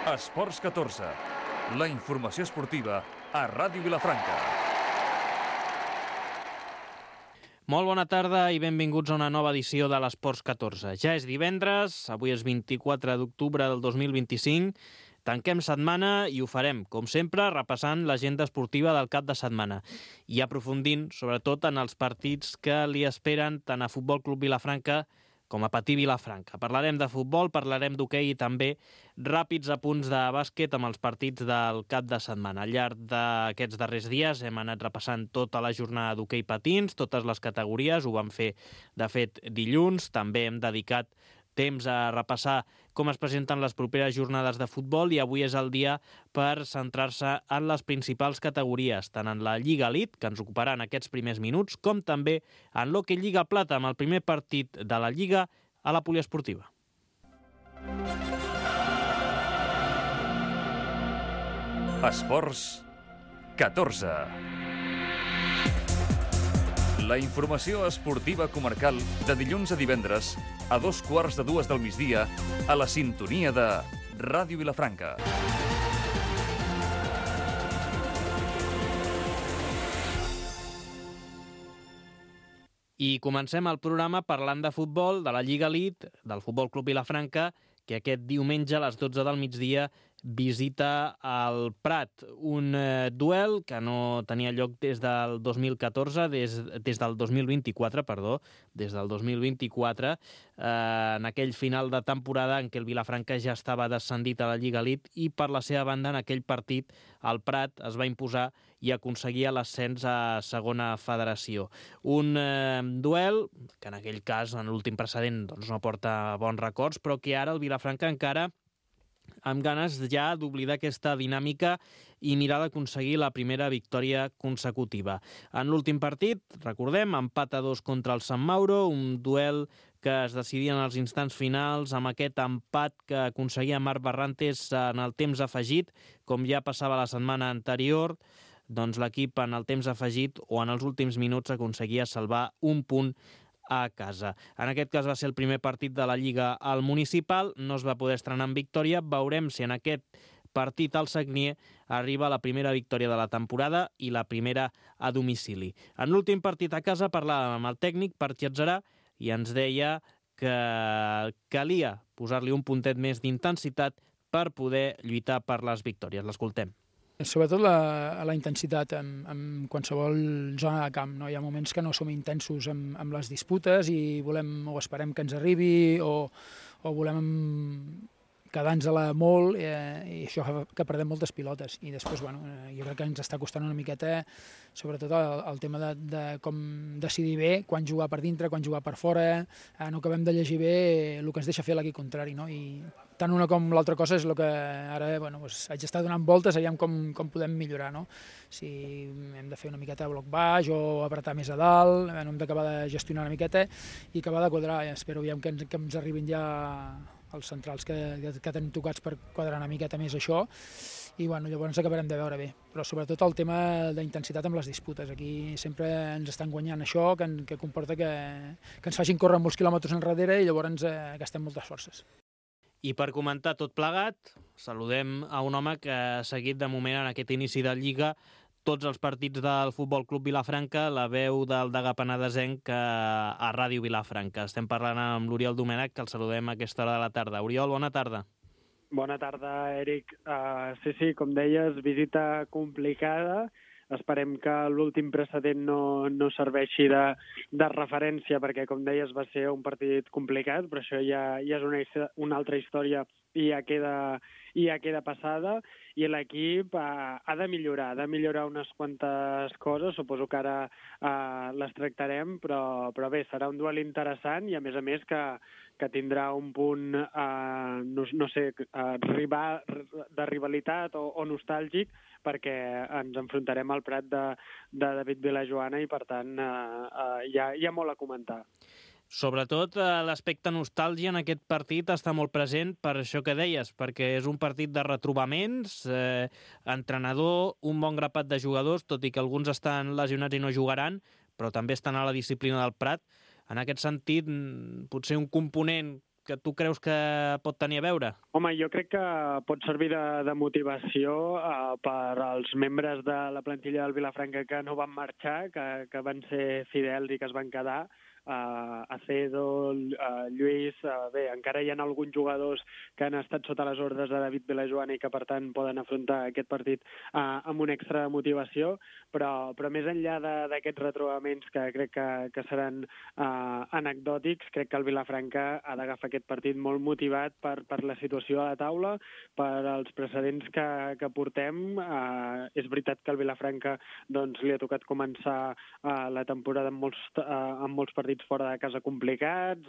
Esports 14, la informació esportiva a Ràdio Vilafranca. Molt bona tarda i benvinguts a una nova edició de l'Esports 14. Ja és divendres, avui és 24 d'octubre del 2025, tanquem setmana i ho farem, com sempre, repassant l'agenda esportiva del cap de setmana i aprofundint, sobretot, en els partits que li esperen tant a Futbol Club Vilafranca com a Patí Vilafranca. Parlarem de futbol, parlarem d'hoquei i també ràpids apunts de bàsquet amb els partits del cap de setmana. Al llarg d'aquests darrers dies hem anat repassant tota la jornada d'hoquei patins, totes les categories, ho vam fer, de fet, dilluns. També hem dedicat temps a repassar com es presenten les properes jornades de futbol i avui és el dia per centrar-se en les principals categories, tant en la Lliga Elite, que ens ocuparà en aquests primers minuts, com també en l'Hockey Lliga Plata, amb el primer partit de la Lliga a la poliesportiva. Esports 14. La informació esportiva comarcal de dilluns a divendres a 2:15 del migdia a la sintonia de Ràdio Vilafranca. I comencem el programa parlant de futbol, de la Lliga Elite, del Futbol Club Vilafranca, que aquest diumenge a les 12 del migdia visita el Prat, un duel que no tenia lloc des del 2014, des del 2024, des del 2024, en aquell final de temporada en què el Vilafranca ja estava descendit a la Lliga Elite i per la seva banda en aquell partit el Prat es va imposar i aconseguia l'ascens a segona federació. Un duel que en aquell cas, en l'últim precedent, doncs no porta bons records, però que ara el Vilafranca encara amb ganes ja d'oblidar aquesta dinàmica i mirar d'aconseguir la primera victòria consecutiva. En l'últim partit, recordem, empat a 2 contra el Sant Mauro, un duel que es decidia en els instants finals amb aquest empat que aconseguia Marc Barrantes en el temps afegit, com ja passava la setmana anterior, doncs l'equip en el temps afegit o en els últims minuts aconseguia salvar un punt a casa. En aquest cas va ser el primer partit de la Lliga al Municipal, no es va poder estrenar amb victòria, veurem si en aquest partit al Sagnier arriba la primera victòria de la temporada i la primera a domicili. En l'últim partit a casa parlàvem amb el tècnic per Txetzerà i ens deia que calia posar-li un puntet més d'intensitat per poder lluitar per les victòries. L'escoltem. Sobretot la intensitat en qualsevol zona de camp. No? Hi ha moments que no som intensos amb les disputes i volem o esperem que ens arribi o volem quedar-nos-la molt i això fa que perdem moltes pilotes. I després, jo crec que ens està costant una miqueta, sobretot el tema de com decidir bé quan jugar per dintre, quan jugar per fora, no acabem de llegir bé el que ens deixa fer l'equip contrari. No? I tant una com l'altra cosa és el que ara haig d'estar donant voltes, aviam com podem millorar. No? Si hem de fer una miqueta de bloc baix o apretar més a dalt, hem d'acabar de gestionar una miqueta i acabar de quadrar. Espero aviam que ens arribin ja els centrals que tenim tocats per quadrar una miqueta més això i llavors acabarem de veure bé. Però sobretot el tema d'intensitat amb les disputes. Aquí sempre ens estan guanyant això, que comporta que ens facin córrer molts quilòmetres enrere i llavors gastem moltes forces. I per comentar tot plegat, saludem a un home que ha seguit de moment en aquest inici de Lliga tots els partits del Futbol Club Vilafranca, la veu del degà penedesenc a Ràdio Vilafranca. Estem parlant amb l'Oriol Domènech, que el saludem a aquesta hora de la tarda. Oriol, bona tarda. Bona tarda, Eric. Sí, com deies, visita complicada. Esperem que l'últim precedent no serveixi de referència, perquè, com deies, va ser un partit complicat, però això ja és una altra història i ja queda passada, i l'equip ha de millorar unes quantes coses, suposo que ara les tractarem, però bé, serà un duel interessant i a més que tindrà un punt, de rivalitat o nostàlgic, perquè ens enfrontarem al Prat de David Vilajoana i, per tant, hi ha molt a comentar. Sobretot l'aspecte nostàlgia en aquest partit està molt present per això que deies, perquè és un partit de retrobaments, entrenador, un bon grapat de jugadors, tot i que alguns estan lesionats i no jugaran, però també estan a la disciplina del Prat. En aquest sentit, potser un component que tu creus que pot tenir a veure? Home, jo crec que pot servir de motivació per als membres de la plantilla del Vilafranca que no van marxar, que van ser fidels i que es van quedar. Acedo, Lluís, bé, encara hi ha alguns jugadors que han estat sota les ordres de David Vilajoana i que per tant poden afrontar aquest partit amb una extra motivació, però més enllà d'aquests retrobaments que crec que seran anecdòtics, crec que el Vilafranca ha d'agafar aquest partit molt motivat per la situació a la taula, per als precedents que portem. És veritat que el Vilafranca doncs, li ha tocat començar la temporada amb molts partits fora de casa complicats,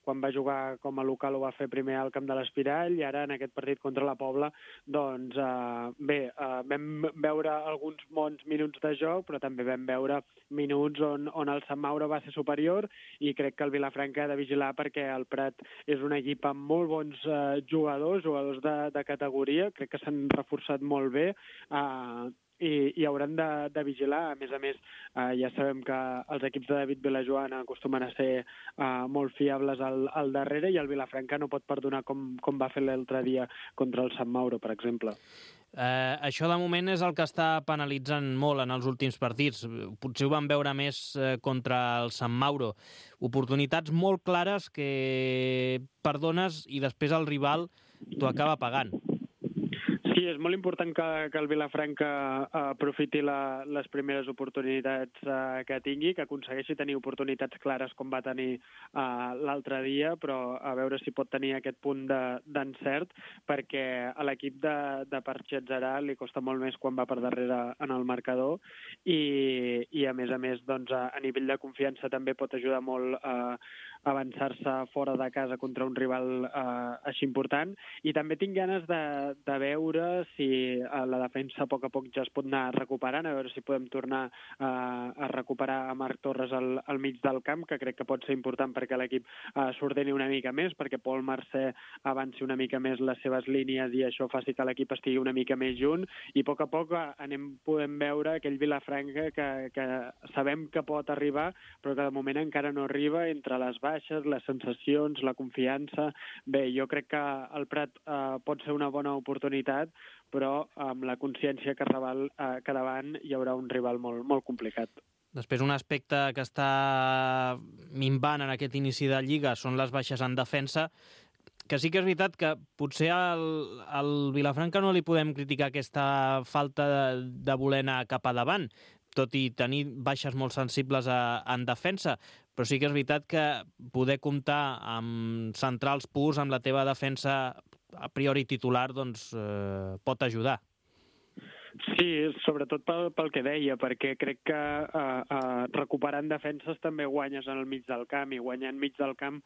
quan va jugar com a local ho va fer primer al camp de l'Espirall i ara en aquest partit contra la Pobla doncs vam veure alguns bons minuts de joc, però també vam veure minuts on el Sant Mauro va ser superior i crec que el Vilafranca ha de vigilar perquè el Prat és un equip amb molt bons jugadors de categoria, crec que s'han reforçat molt bé i hauran de vigilar. A més, ja sabem que els equips de David Vilajoana acostumen a ser molt fiables al darrere i el Vilafranca no pot perdonar com va fer l'altre dia contra el Sant Mauro, per exemple. Això de moment és el que està penalitzant molt en els últims partits. Potser ho vam veure més contra el Sant Mauro. Oportunitats molt clares que perdones i després el rival t'ho acaba pagant. Sí, és molt important que el Vilafranca aprofiti les primeres oportunitats que tingui, que aconsegueixi tenir oportunitats clares com va tenir l'altre dia, però a veure si pot tenir aquest punt d'encert, perquè a l'equip de Parchetzarà li costa molt més quan va per darrere en el marcador i a més, doncs, a nivell de confiança també pot ajudar molt a avançar-se fora de casa contra un rival així important. I també tinc ganes de veure si la defensa a poc ja es pot anar recuperant, a veure si podem tornar a recuperar a Marc Torres al mig del camp, que crec que pot ser important perquè l'equip s'ordeni una mica més, perquè Pol Mercè avanci una mica més les seves línies i això faci que l'equip estigui una mica més junt i a poc podem veure aquell Vilafranca que sabem que pot arribar, però que de moment encara no arriba, entre les baixes, les sensacions, la confiança. Bé, jo crec que el Prat pot ser una bona oportunitat, però amb la consciència que davant hi haurà un rival molt, molt complicat. Després, un aspecte que està minvant en aquest inici de Lliga són les baixes en defensa, que sí que és veritat que potser al Vilafranca no li podem criticar aquesta falta de voler anar cap a davant, tot i tenir baixes molt sensibles en defensa, però sí que és veritat que poder comptar amb centrals purs, amb la teva defensa a priori titular, doncs pot ajudar. Sí, sobretot pel que deia, perquè crec que recuperant defenses també guanyes en el mig del camp, i guanyant mig del camp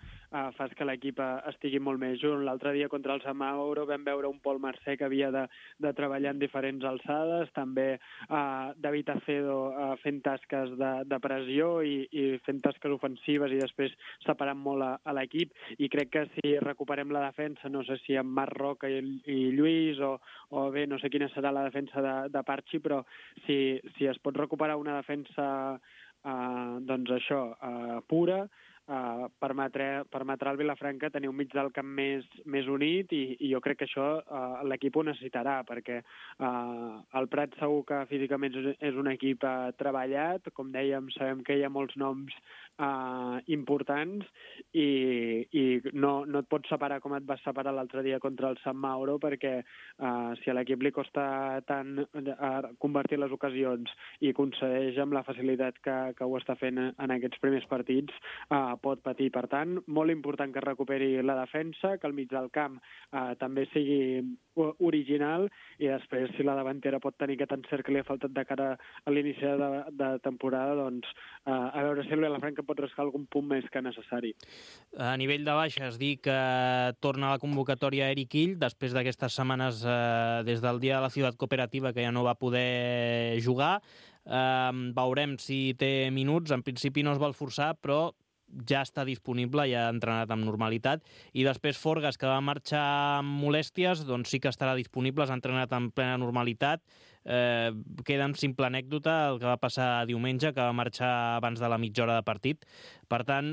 fas que l'equip estigui molt més junt. L'altre dia contra el Sant Mauro vam veure un Pol Mercè que havia de treballar en diferents alçades, també David Acedo fent tasques de pressió i fent tasques ofensives i després separant molt a l'equip, i crec que si recuperem la defensa, no sé si amb Marc Roca i Lluís o bé, no sé quina serà la defensa de Parchi, però si es pot recuperar una defensa doncs això, pura, permetrà al Vilafranca tenir un mig del camp més unit i jo crec que això l'equip ho necessitarà, perquè el Prat segur que físicament és un equip treballat, com dèiem, sabem que hi ha molts noms importants i no et pots separar com et vas separar l'altre dia contra el Sant Mauro, perquè si a l'equip li costa tant convertir les ocasions i concedeix amb la facilitat que ho està fent en aquests primers partits, pot patir. Per tant, molt important que recuperi la defensa, que el mig del camp també sigui original, i després, si la davantera pot tenir aquest encert que li ha faltat de cara a l'inici de temporada, doncs a veure si el Vilafranca pot rascar algun punt més que necessari. A nivell de baixes, dir que torna a la convocatòria Eric Ill, després d'aquestes setmanes des del dia de la Ciutat Cooperativa, que ja no va poder jugar. Veurem si té minuts. En principi no es vol forçar, però ja està disponible, ja ha entrenat amb normalitat. I després Forgas, que va marxar amb molèsties, doncs sí que estarà disponible, s'ha entrenat amb plena normalitat. queda en simple anècdota el que va passar diumenge, que va marxar abans de la mitja hora de partit. Per tant,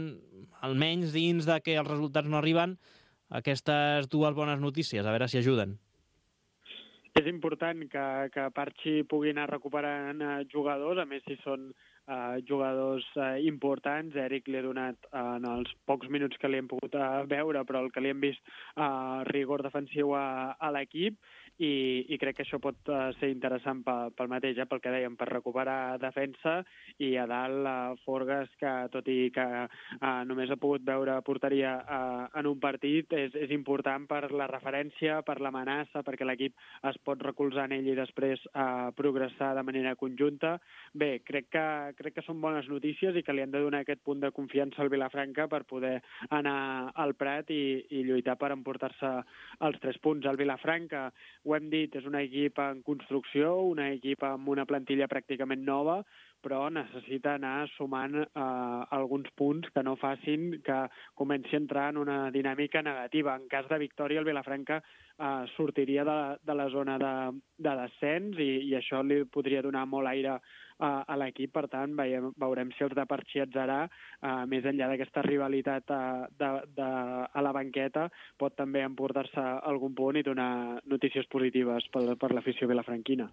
almenys dins de que els resultats no arriben, aquestes dues bones notícies, a veure si ajuden. És important que Parchi pugui anar recuperant jugadors, a més si són jugadors importants. Eric li ha donat en els pocs minuts que li hem pogut veure, però el que li hem vist rigor defensiu a l'equip, i crec que això pot ser interessant pel mateix, pel que dèiem, per recuperar defensa, i a dalt Forgas, que tot i que només ha pogut veure porteria en un partit, és important per la referència, per l'amenaça, perquè l'equip es pot recolzar en ell i després progressar de manera conjunta. Bé, crec que són bones notícies i que li han de donar aquest punt de confiança al Vilafranca per poder anar al Prat i lluitar per emportar-se els 3 punts. El Vilafranca, ho hem dit, és un equip en construcció, un equip amb una plantilla pràcticament nova, però necessita anar sumant alguns punts que no facin que comenci a entrar en una dinàmica negativa. En cas de victòria, el Vilafranca sortiria de la zona de descens i això li podria donar molt aire a l'equip. Per tant, veurem si els de Parchi Atzarà, més enllà d'aquesta rivalitat a la banqueta, pot també emportar-se algun punt i donar notícies positives per l'afició vilafranquina.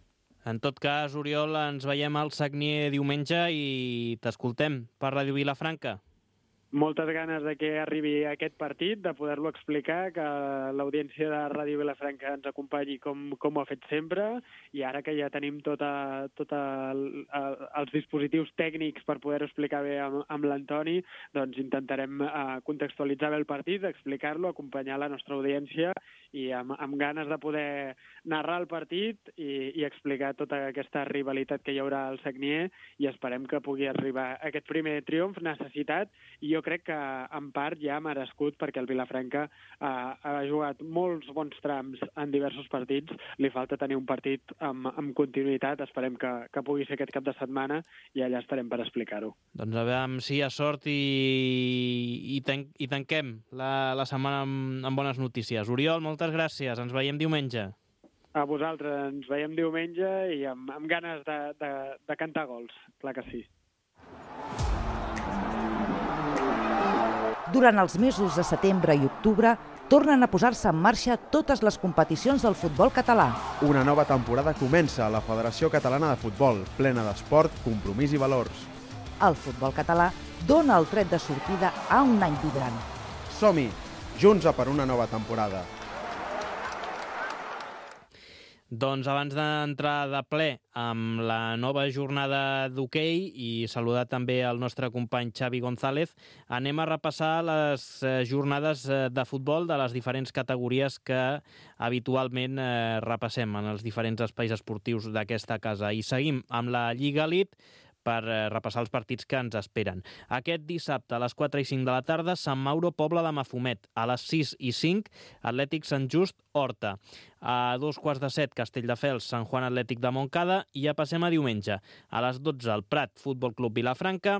En tot cas, Oriol, ens veiem al Sagnier diumenge i t'escoltem per Ràdio Vilafranca. Moltes ganes de que arribi aquest partit, de poder-lo explicar, que l'audiència de Ràdio Vilafranca ens acompanyi com ho ha fet sempre, i ara que ja tenim tots els dispositius tècnics per poder-ho explicar bé amb l'Antoni, doncs intentarem contextualitzar bé el partit, explicar-lo, acompanyar la nostra audiència, i amb ganes de poder narrar el partit i explicar tota aquesta rivalitat que hi haurà al Sagnier, i esperem que pugui arribar aquest primer triomf necessitat, i jo crec que en part ja ha merescut, perquè el Vilafranca ha jugat molts bons trams en diversos partits, li falta tenir un partit amb continuïtat. Esperem que pugui ser aquest cap de setmana i allà estarem per explicar-ho. Doncs a veure si hi ha sort i tanquem la setmana amb bones notícies. Oriol, moltes gràcies, ens veiem diumenge. A vosaltres, ens veiem diumenge i amb ganes de cantar gols, clar que sí. Durant els mesos de setembre i octubre, tornen a posar-se en marxa totes les competicions del futbol català. Una nova temporada comença a la Federació Catalana de Futbol, plena d'esport, compromís i valors. El futbol català dona el tret de sortida a un any vibrant. Som-hi, junts a per una nova temporada. Doncs abans d'entrar de ple amb la nova jornada d'hoquei i saludar també el nostre company Xavi González, anem a repassar les jornades de futbol de les diferents categories que habitualment repassem en els diferents espais esportius d'aquesta casa. I seguim amb la Lliga Elite per repassar els partits que ens esperen. Aquest dissabte a les 4 i 5 de la tarda, Sant Mauro, Pobla de Mafumet. A les 6 i 5, Atlètic Sant Just, Horta. A 2:15, Castelldefels, Sant Joan Atlètic de Montcada. I ja passem a diumenge. A les 12, el Prat, Futbol Club Vilafranca.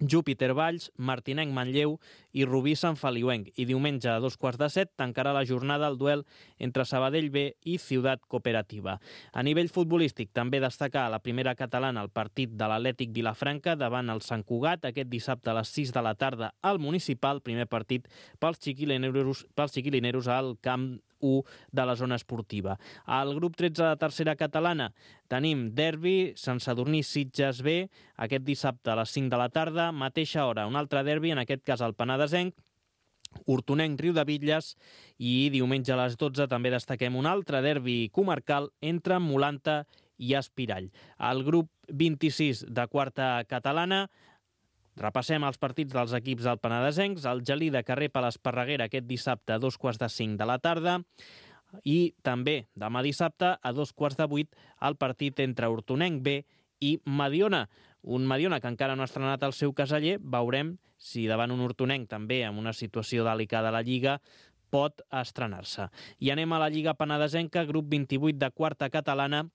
Júpiter Valls, Martinenc Manlleu i Rubí Sant Feliuenc. I diumenge a 2:15 tancarà la jornada el duel entre Sabadell B i Ciutat Cooperativa. A nivell futbolístic també destacar a la primera catalana el partit de l'Atlètic Vilafranca davant el Sant Cugat aquest dissabte a les 6 de la tarda al Municipal, primer partit pels chiquilineros al Camp 1 de la zona esportiva. Al grup 13 de tercera catalana tenim derbi, Sant Sadurní Sitges B, aquest dissabte a les 5 de la tarda, mateixa hora, un altre derbi, en aquest cas el Penedesenc, Hortonenc Riudebitlles, i diumenge a les 12 també destaquem un altre derbi comarcal entre Molanta i Espirall. Al grup 26 de quarta catalana repassem els partits dels equips del Penedesencs. El Gelida que rep a l'Esparreguera aquest dissabte a 2:15 de la tarda, i també demà dissabte a 7:15 el partit entre Hortonenc B i Mediona. Un Mediona que encara no ha estrenat el seu caseller. Veurem si davant un Hortonenc també amb una situació delicada a la Lliga pot estrenar-se. I anem a la Lliga Penedesenca, grup 28 de quarta catalana,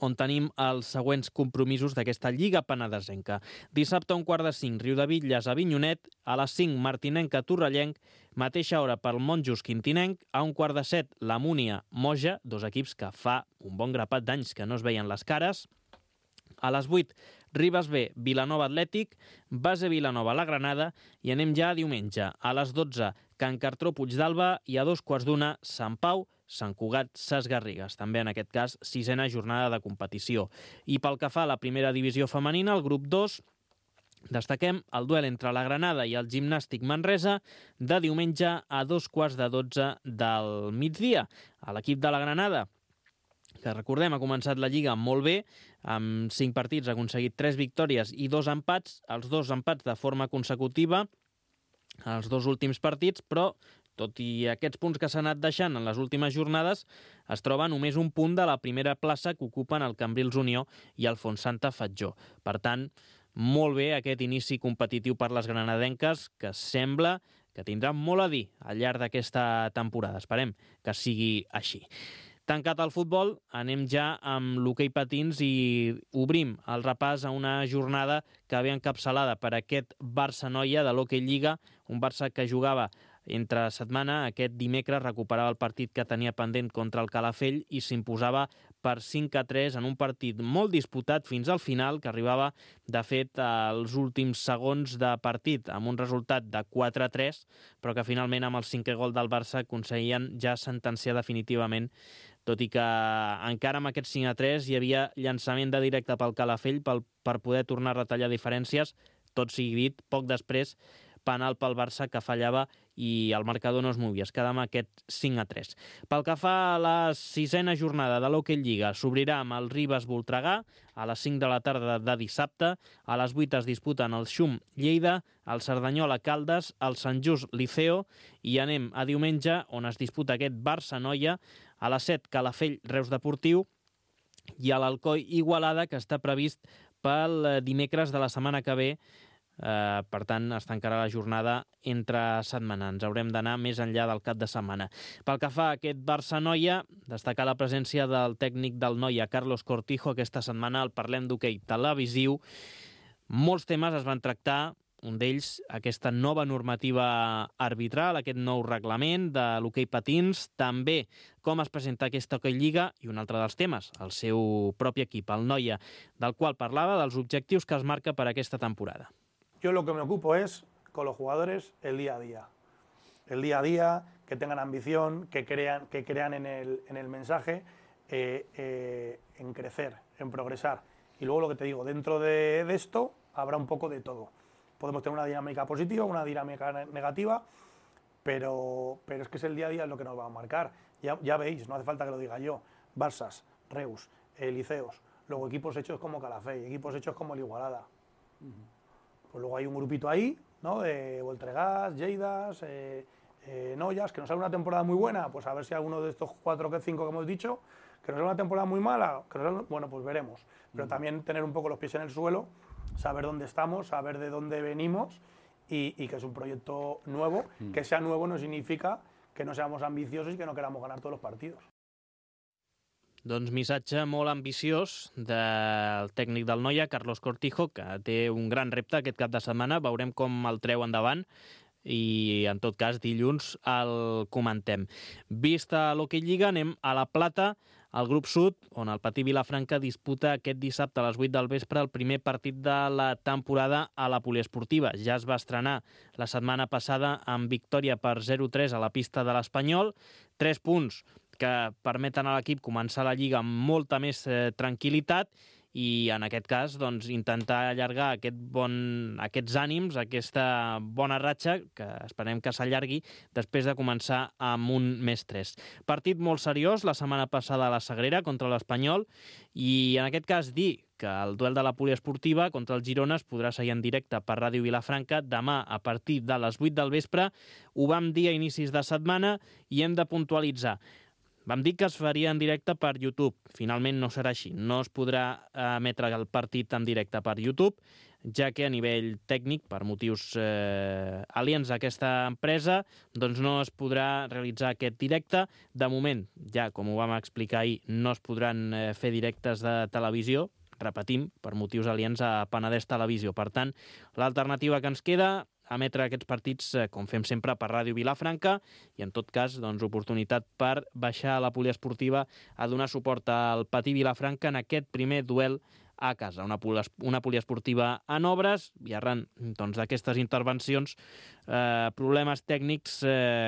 on tenim els següents compromisos d'aquesta Lliga Penedesenca. Dissabte a 4:45, Riudebitlles a Avinyonet, a les 5, Martinenca Torrellenc, mateixa hora pel Monjos Quintinenc, a 6:15, la Múnia Moja, dos equips que fa un bon grapat d'anys que no es veien les cares. A les 8, Ribes B, Vilanova Atlètic, Base Vilanova La Granada i anem ja a diumenge. A les 12, Can Cartró Puigdàlber i a 2:15, Sant Pau, Sant Cugat, Ses Garrigues. També en aquest cas, 6a jornada de competició. I pel que fa a la primera divisió femenina, el grup 2, destaquem el duel entre la Granada i el Gimnàstic Manresa de diumenge a 2:15 del migdia. A l'equip de la Granada, que recordem ha començat la Lliga molt bé, amb 5 partits ha aconseguit 3 victòries i 2 empats, els 2 empats de forma consecutiva, els 2 últims partits, però tot i aquests punts que s'han anat deixant en les últimes jornades, es troba només un punt de la primera plaça que ocupen el Cambrils Unió i el Fontsanta Fatjó. Per tant, molt bé aquest inici competitiu per les granadenques, que sembla que tindrà molt a dir al llarg d'aquesta temporada. Esperem que sigui així. Tancat el futbol, anem ja amb l'hoquei patins i obrim el repàs a una jornada que ve encapçalada per aquest Barça-Noia de l'Hockey Lliga, un Barça que jugava entre setmana. Aquest dimecres recuperava el partit que tenia pendent contra el Calafell i s'imposava per 5-3 en un partit molt disputat fins al final, que arribava, de fet, als últims segons de partit, amb un resultat de 4-3, però que finalment amb el 5è gol del Barça aconseguien ja sentenciar definitivament, tot i que encara amb aquest 5-3 hi havia llançament de directe pel Calafell per poder tornar a retallar diferències. Tot sigui dit, poc després, penal pel Barça que fallava i el marcador no es movia, es quedava amb aquest 5-3. Pel que fa a la 6a jornada de l'Hockey Lliga, s'obrirà amb el Ribes Voltregà a les 5 de la tarda de dissabte. A les 8 es disputen el Xum Lleida, el Cerdanyola Caldes, el Sant Just Liceo i anem a diumenge, on es disputa aquest Barça-Noia. A les 7, Calafell Reus Deportiu i a l'Alcoi Igualada, que està previst pel dimecres de la setmana que ve. Per tant, es tancarà la jornada entre setmana. Ens haurem d'anar més enllà del cap de setmana. Pel que fa a aquest Barça-Noia, destacar la presència del tècnic del Noia, Carlos Cortijo. Aquesta setmana el Parlem d'Hoquei televisiu. Molts temes es van tractar, un d'ells aquesta nova normativa arbitral, aquest nou reglament de l'hoquei patins, també com es presenta aquesta Hockey Lliga i un altre dels temes, el seu propi equip, el Noia, del qual parlava dels objectius que es marca per aquesta temporada. Yo lo que me ocupo es, con los jugadores, el día a día. El día a día, que tengan ambición, que crean en el mensaje, en crecer, en progresar. Y luego lo que te digo, dentro de esto habrá un poco de todo. Podemos tener una dinámica positiva, una dinámica negativa, pero es que es el día a día lo que nos va a marcar. Ya veis, no hace falta que lo diga yo. Barsas, Reus, Liceos, luego equipos hechos como Calafell, equipos hechos como el Igualada. Pues luego hay un grupito ahí, ¿no? De Voltregás, Lleidas, Noyas, que nos sale una temporada muy buena, pues a ver si alguno de estos 4 o 5 que hemos dicho, que nos sale una temporada muy mala, bueno, pues veremos. Pero también tener un poco los pies en el suelo, saber dónde estamos, saber de dónde venimos y que es un proyecto nuevo. Que sea nuevo no significa que no seamos ambiciosos y que no queramos ganar todos los partidos. Doncs missatge molt ambiciós del tècnic del Noia, Carlos Cortijo, que té un gran repte aquest cap de setmana. Veurem com el treu endavant i, en tot cas, dilluns el comentem. Vista l'Hockey Lliga, anem a La Plata, al grup sud, on el Patí Vilafranca disputa aquest dissabte a les 8 del vespre el primer partit de la temporada a la poliesportiva. Ja es va estrenar la setmana passada amb victòria per 0-3 a la pista de l'Espanyol. 3 punts que permeten a l'equip començar la Lliga amb molta més tranquil·litat i, en aquest cas, doncs, intentar allargar aquests ànims, aquesta bona ratxa, que esperem que s'allargui després de començar amb un més 3. Partit molt seriós la setmana passada a la Sagrera contra l'Espanyol i, en aquest cas, dir que el duel de la poliesportiva contra el Girona es podrà seguir en directe per Ràdio Vilafranca demà a partir de les 8 del vespre. Ho vam dir a inicis de setmana i hem de puntualitzar. Vam dir que es faria en directe per YouTube. Finalment no serà així. No es podrà emetre el partit en directe per YouTube. ja que a nivell tècnic, per motius aliens a aquesta empresa, doncs no es podrà realitzar aquest directe. De moment, ja com ho vam explicar ahir, no es podran fer directes de televisió, repetim, per motius aliens a Penedès Televisió. Per tant, l'alternativa que ens queda, emetre aquests partits, com fem sempre, per Ràdio Vilafranca, i en tot cas, doncs, oportunitat per baixar a la poliesportiva a donar suport al Patí Vilafranca en aquest primer duel a casa. Una poliesportiva en obres i arran d'aquestes intervencions, problemes tècnics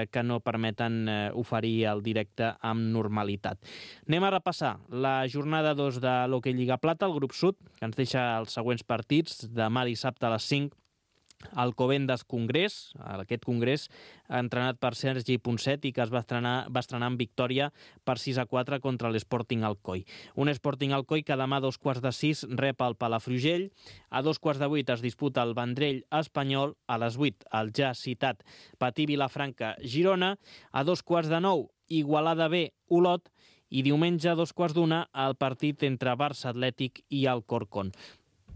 que no permeten oferir el directe amb normalitat. Anem a repassar la jornada 2 de l'Hockey Lliga Plata, el grup sud, que ens deixa els següents partits. Demà dissabte a les 5, Alcobendas Congrés, aquest congrés entrenat per Sergi Ponset i que es va estrenar amb victòria per 6-4 contra l'Sporting Alcoi. Un Sporting Alcoi que demà a 2:45 rep el Palafrugell, a 2:08 es disputa el Vendrell Espanyol, a les 8 el ja citat Patí Vilafranca Girona, a 2:45 Igualada B Olot i diumenge a 2:15 el partit entre Barça Atlètic i Alcorcón.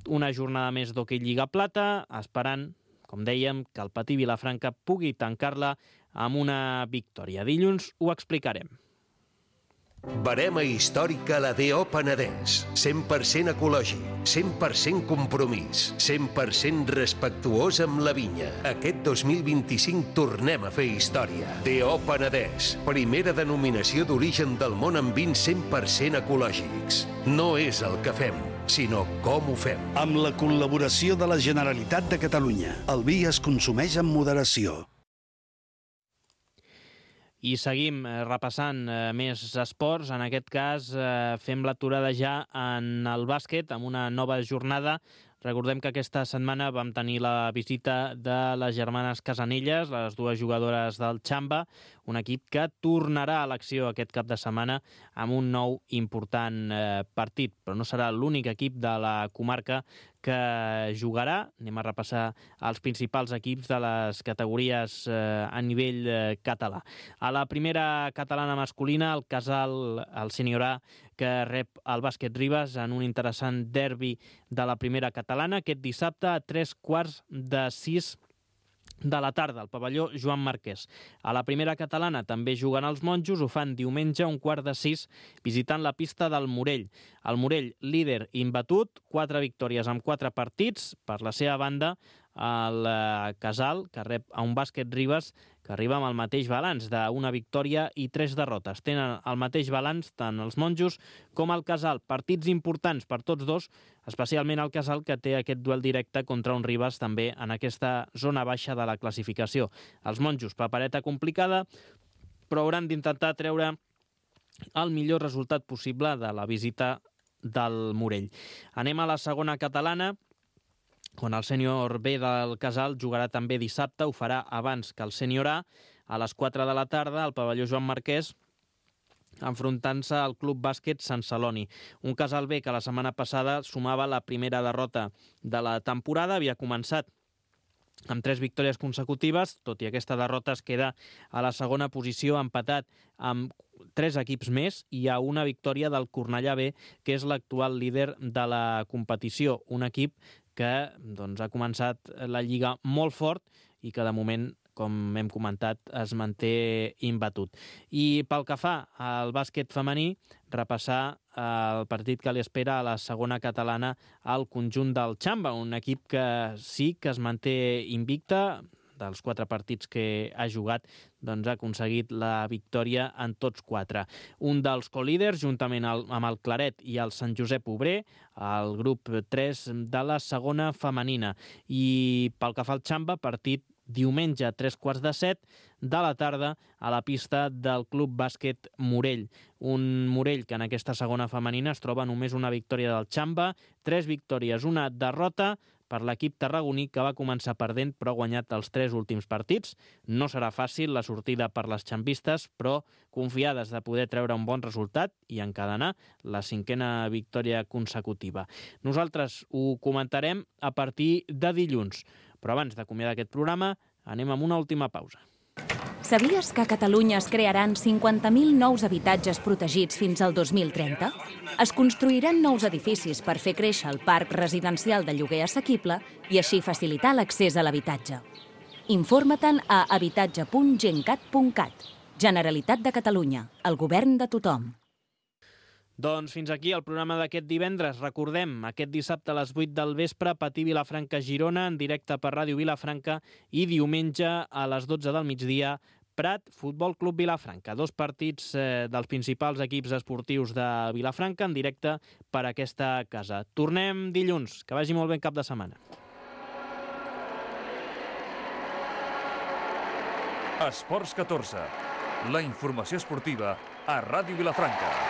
Una jornada més d'Hockey Lliga Plata, esperant, com dèiem, que el Patí Vilafranca pugui tancar-la amb una victòria. Dilluns ho explicarem. Verema històrica a la DO Penedès. 100% ecològic, 100% compromís, 100% respectuós amb la vinya. Aquest 2025 tornem a fer història. DO Penedès, primera denominació d'origen del món amb vins 100% ecològics. No és el que fem, sinó com ho fem. Amb la col·laboració de la Generalitat de Catalunya. El vi es consumeix amb moderació. I seguim repassant més esports. En aquest cas fem l'aturada ja en el bàsquet amb una nova jornada. Recordem que aquesta setmana vam tenir la visita de les germanes Casanelles, les dues jugadores del Xamba, un equip que tornarà a l'acció aquest cap de setmana amb un nou important partit, però no serà l'únic equip de la comarca que jugarà. Anem a repassar els principals equips de les categories a nivell català. A la primera catalana masculina, el Casal, el Sènior A, que rep el Bàsquet Ribes en un interessant derbi de la primera catalana aquest dissabte a 3:45 de la tarda, al pavelló Joan Marquès. A la primera catalana també juguen els monjos, ho fan diumenge a 5:15 visitant la pista del Morell. El Morell, líder imbatut, 4 victòries amb 4 partits. Per la seva banda, el Casal, que rep a un Bàsquet Ribes, que arriba amb el mateix balanç d'una victòria i 3 derrotes. Tenen el mateix balanç tant els monjos com el Casal. Partits importants per tots dos, especialment el Casal, que té aquest duel directe contra un Ribes també en aquesta zona baixa de la classificació. Els monjos, papereta complicada, però hauran d'intentar treure el millor resultat possible de la visita del Morell. Anem a la segona catalana, on el sènior B del Casal jugarà també dissabte, ho farà abans que el sènior A les 4 de la tarda al pavelló Joan Marquès, enfrontant-se al Club Bàsquet Sant Celoni. Un Casal B que la setmana passada sumava la primera derrota de la temporada, havia començat amb 3 victòries consecutives, tot i aquesta derrota es queda a la segona posició, empatat amb 3 equips més i a una victòria del Cornellà B, que és l'actual líder de la competició. Un equip que ha començat la Lliga molt fort i que de moment, com hem comentat, es manté imbatut. I pel que fa al bàsquet femení, repassar el partit que li espera a la segona catalana al conjunt del Xamba, un equip que sí que es manté invicta. Dels 4 partits que ha jugat, ha aconseguit la victòria en tots 4. Un dels colíders, juntament amb el Claret i el Sant Josep Obrer, el grup 3 de la segona femenina. I pel que fa al Xamba, partit diumenge a 3:15 de la tarda a la pista del Club Bàsquet Morell. Un Morell que en aquesta segona femenina es troba només una victòria del Xamba, 3 victòries, una derrota per l'equip tarragoní, que va començar perdent però ha guanyat els 3 últims partits. No serà fàcil la sortida per les xambistes, però confiades de poder treure un bon resultat i encadenar la 5a victòria consecutiva. Nosaltres ho comentarem a partir de dilluns. Però abans d'acomiadar aquest programa, anem amb una última pausa. Sabies que a Catalunya es crearan 50.000 nous habitatges protegits fins al 2030? Es construiran nous edificis per fer créixer el parc residencial de lloguer assequible i així facilitar l'accés a l'habitatge. Informa-te'n a habitatge.gencat.cat. Generalitat de Catalunya, el govern de tothom. Doncs fins aquí el programa d'aquest divendres. Recordem, aquest dissabte a les 8 del vespre, Patí Vilafranca-Girona, en directe per Ràdio Vilafranca, i diumenge a les 12 del migdia, Prat, Futbol Club Vilafranca. 2 partits dels principals equips esportius de Vilafranca en directe per aquesta casa. Tornem dilluns. Que vagi molt bé cap de setmana. Esports 14. La informació esportiva a Ràdio Vilafranca.